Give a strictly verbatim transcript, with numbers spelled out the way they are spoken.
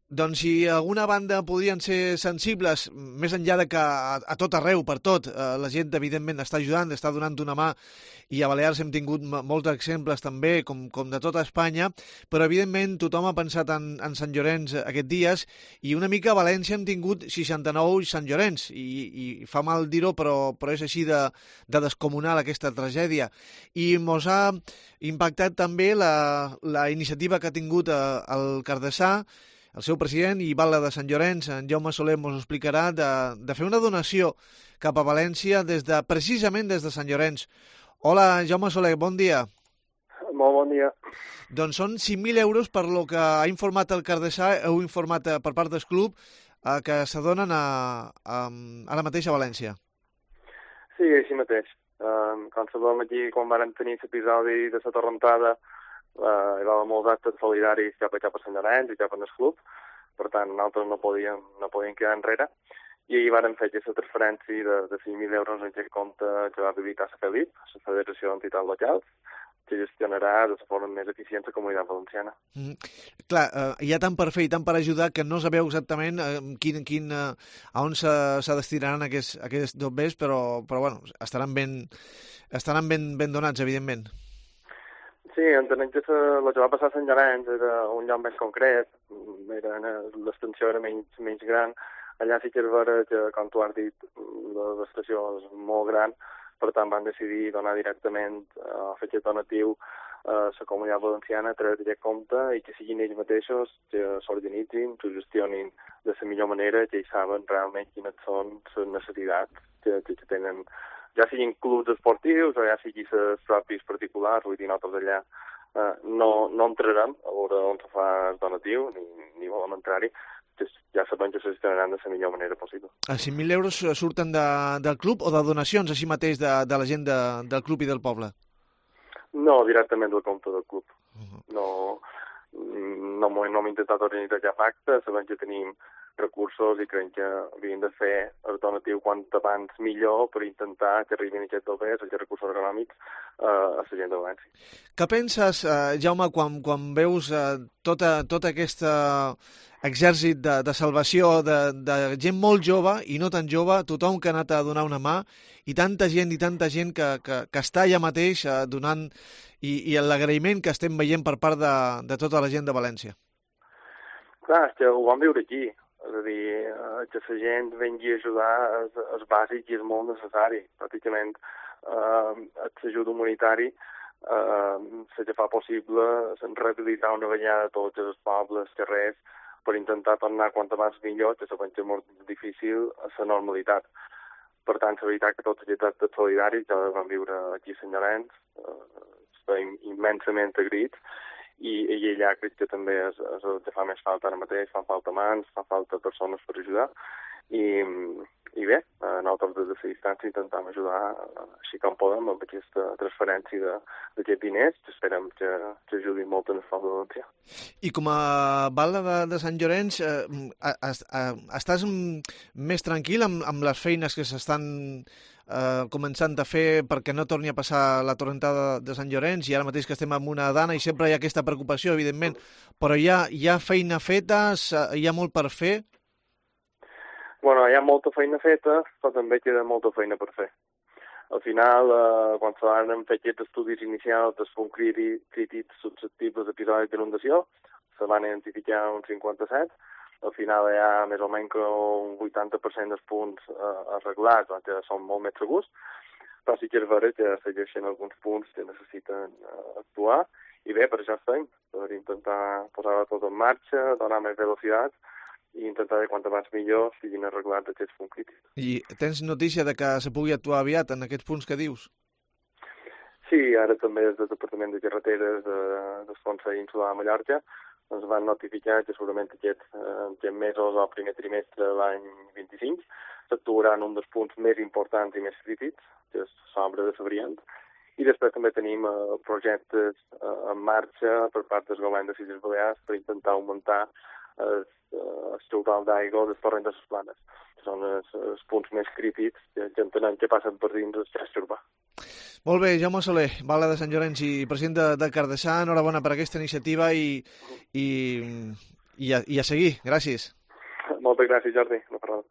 Doncs si alguna banda podrien ser sensibles, més enllà de que a, a tot arreu, per tot, eh, la gent evidentment està ajudant, està donant una mà, i a Balears hem tingut molts exemples també, com, com de tota Espanya, però evidentment tothom ha pensat en, en Sant Llorenç aquests dies, i una mica a València hem tingut seixanta-nou Sant Llorenç, i, i fa mal dir-ho, però, però és així de, de descomunal aquesta tragèdia. I mos ha impactat també la, la iniciativa que ha tingut eh, el Cardesà, el seu president i batlle de Sant Llorenç, en Jaume Soler, ens explicarà de, de fer una donació cap a València des de, precisament des de Sant Llorenç. Hola, Jaume Soler, bon dia. Molt bon dia. Doncs són cinc mil euros per lo que ha informat el Cardesà, heu informat per part del club, eh, que s'adonen a, a, ara mateix a València. Sí, així mateix. Um, com sabem aquí, quan vam tenir l'episodi de la torrentada, Uh, hi va haver molts actes solidaris cap a, cap a Sant Llorenç i cap al club, per tant nosaltres no podíem, no podíem quedar enrere, i ahir vàrem fer aquesta transferència de, de cinc mil euros en aquest compte que va habilitar la FELIP, la Federació d'Entitats Locals, que gestionarà de la forma més eficient la Comunitat Valenciana. Mm. Clar, eh, hi ha tant per fer i tant per ajudar que no sabeu exactament eh, quin, quin, eh, a on se, se destinaran aquests, aquests dobbers, però, però bueno, estaran ben, estaran ben, ben donats, evidentment. Sí, entenem que el que va passar a Sant Llorenç era un lloc més concret, l'extensió era menys, menys gran. Allà sí que és vera que, com tu has dit, l'estació és molt gran, per tant van decidir donar directament a fer aquest donatiu a la Comunitat Valenciana a través d'aquest compte i que siguin ells mateixos que s'organitzin, que gestionin de la millor manera, que ells saben realment quines són les necessitats que, que tenen, ja siguin clubs esportius o ja siguin els propis particulars. Vull dir, nosaltres allà eh, no, no entrarem a veure on se fa el donatiu, ni, ni volem entrar-hi, ja sabem que se gestionaran de la millor manera possible. Els cinc mil euros surten de, del club o de donacions així mateix de, de la gent de, del club i del poble? No, directament del compte del club. Uh-huh. No, no, no hem intentat organitzar cap acte, sabem que tenim recursos i creiem que havíem de fer el donatiu quant abans millor per intentar que arribin aquests doblers, aquests recursos econòmics eh, a la gent de València. Què penses, eh, Jaume, quan, quan veus eh, tota, tot aquest exèrcit de, de salvació de, de gent molt jove i no tan jove, tothom que ha anat a donar una mà, i tanta gent i tanta gent que, que, que està allà mateix eh, donant, i, i l'agraïment que estem veient per part de, de tota la gent de València? Clar, és que ho vam viure aquí. És a dir, que la gent vengui a ajudar és, és bàsic i és molt necessari. Pràcticament eh, l'ajut humanitari eh, se que fa possible rehabilitar una vegada tots els pobles, carrers, per intentar tornar quant abans millor, que sabem que és molt difícil, a la normalitat. Per tant, la veritat que tots aquests actes solidaris ja vam viure aquí a Sant Llorenç, eh, estem immensament agraïts, i, i allà crec que també és, és el que fa més falta ara mateix, fan falta mans, fan falta persones per ajudar, i, i bé, nosaltres des de la distància intentem ajudar així com podem amb aquesta transferència d'aquests diners, que esperem que, que ajudin molt en el Fons de Valencià. I com a batlle de, de Sant Llorenç, eh, estàs més tranquil amb, amb les feines que s'estan eh, començant a fer perquè no torni a passar la torrentada de Sant Llorenç, i ara mateix que estem en una dana i sempre hi ha aquesta preocupació, evidentment, però hi ha, hi ha feina feta, hi ha molt per fer? Bueno, hi ha molta feina feta, però també queda molta feina per fer. Al final, eh, quan se van fer aquests estudis inicials dels punts crítics susceptibles d'episodis d'inundació, se van identificar uns cinquanta-set. Al final hi ha més o menys un vuitanta per cent dels punts eh, arreglats, que són molt més segurs, però sí que és vera que segueixen alguns punts que necessiten eh, actuar, i bé, per això estem, per intentar posar-ho tot en marxa, donar més velocitat, i intentar de quant abans millor siguin arreglats aquests punts crítics. I tens notícia de que se pugui actuar aviat en aquests punts que dius? Sí, ara també des del Departament de Carreteres de, del Consell Insular de Mallorca ens van notificar que segurament aquests, eh, aquests mesos o el primer trimestre de l'any vint-i-cinc s'actuarà en un dels punts més importants i més crítics, que és l'obra de Sabriant, i després també tenim eh, projectes eh, en marxa per part del govern de les Illes Balears per intentar augmentar el, el total d'aigua dels torrents de les planes, que són els, els punts més crítics que, que entenem que passen per dins del xarxa urbà. Molt bé, Jaume Soler, batlle de Sant Llorenç i president de, de Cardesà, enhorabona per aquesta iniciativa i, i, I a, i a seguir. Gràcies. Moltes gràcies, Jordi. No parlem.